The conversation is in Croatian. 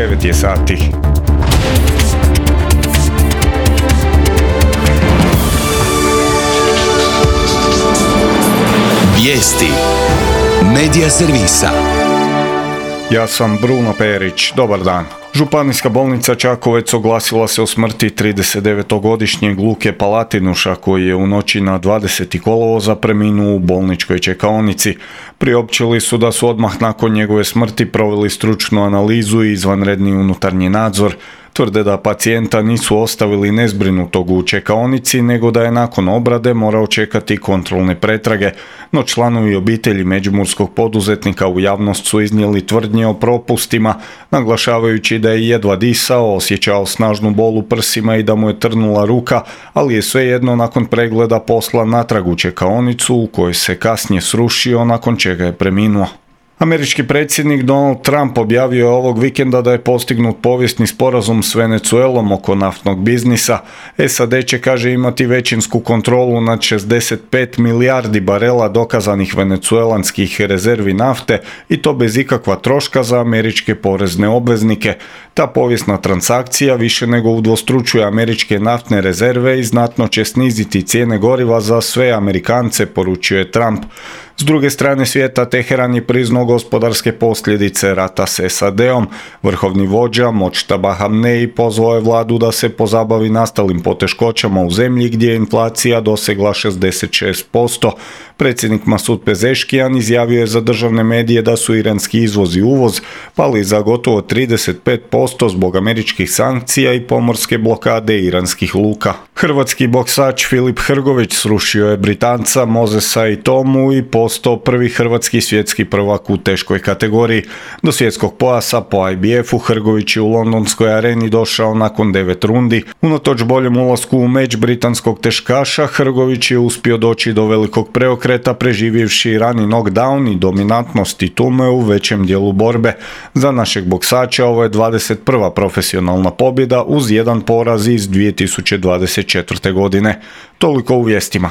9 je sati. Vijesti Medija servisa. Ja sam Bruno Perić, dobar dan. Županijska bolnica Čakovec oglasila se o smrti 39-godišnjeg Luke Palatinuša koji je u noći na 20. kolovoza preminuo u bolničkoj čekaonici. Priopćili su da su odmah nakon njegove smrti proveli stručnu analizu i izvanredni unutarnji nadzor. Tvrde da pacijenta nisu ostavili nezbrinutog u čekaonici, nego da je nakon obrade morao čekati kontrolne pretrage, no članovi obitelji međimurskog poduzetnika u javnost su iznijeli tvrdnje o propustima, naglašavajući da je jedva disao, osjećao snažnu bol u prsima i da mu je trnula ruka, ali je svejedno nakon pregleda poslan natrag u čekaonicu u kojoj se kasnije srušio, nakon čega je preminuo. Američki predsjednik Donald Trump objavio je ovog vikenda da je postignut povijesni sporazum s Venezuelom oko naftnog biznisa. SAD će, kaže, imati većinsku kontrolu nad 65 milijardi barela dokazanih venecuelanskih rezervi nafte i to bez ikakva troška za američke porezne obveznike. Ta povijesna transakcija više nego udvostručuje američke naftne rezerve i znatno će sniziti cijene goriva za sve Amerikance, poručio je Trump. S druge strane svijeta, Teheran je priznao gospodarske posljedice rata s SAD-om. Vrhovni vođa Modžtaba Hamnei pozvao je vladu da se pozabavi nastalim poteškoćama u zemlji gdje je inflacija dosegla 66%. Predsjednik Masud Pezeškijan izjavio je za državne medije da su iranski izvoz i uvoz pali za gotovo 35% zbog američkih sankcija i pomorske blokade iranskih luka. Hrvatski boksač Filip Hrgović srušio je Britanca Mozesa i Tomu i postao prvi hrvatski svjetski prvak u teškoj kategoriji. Do svjetskog pojasa po IBF-u Hrgović je u londonskoj areni došao nakon 9 rundi. Unatoč boljem ulasku u meč britanskog teškaša, Hrgović je uspio doći do velikog preokreta preživjevši rani knockdown i dominantnost titume u većem dijelu borbe. Za našeg boksača ovo je 21. profesionalna pobjeda uz jedan poraz iz 2024. godine. Toliko u vijestima.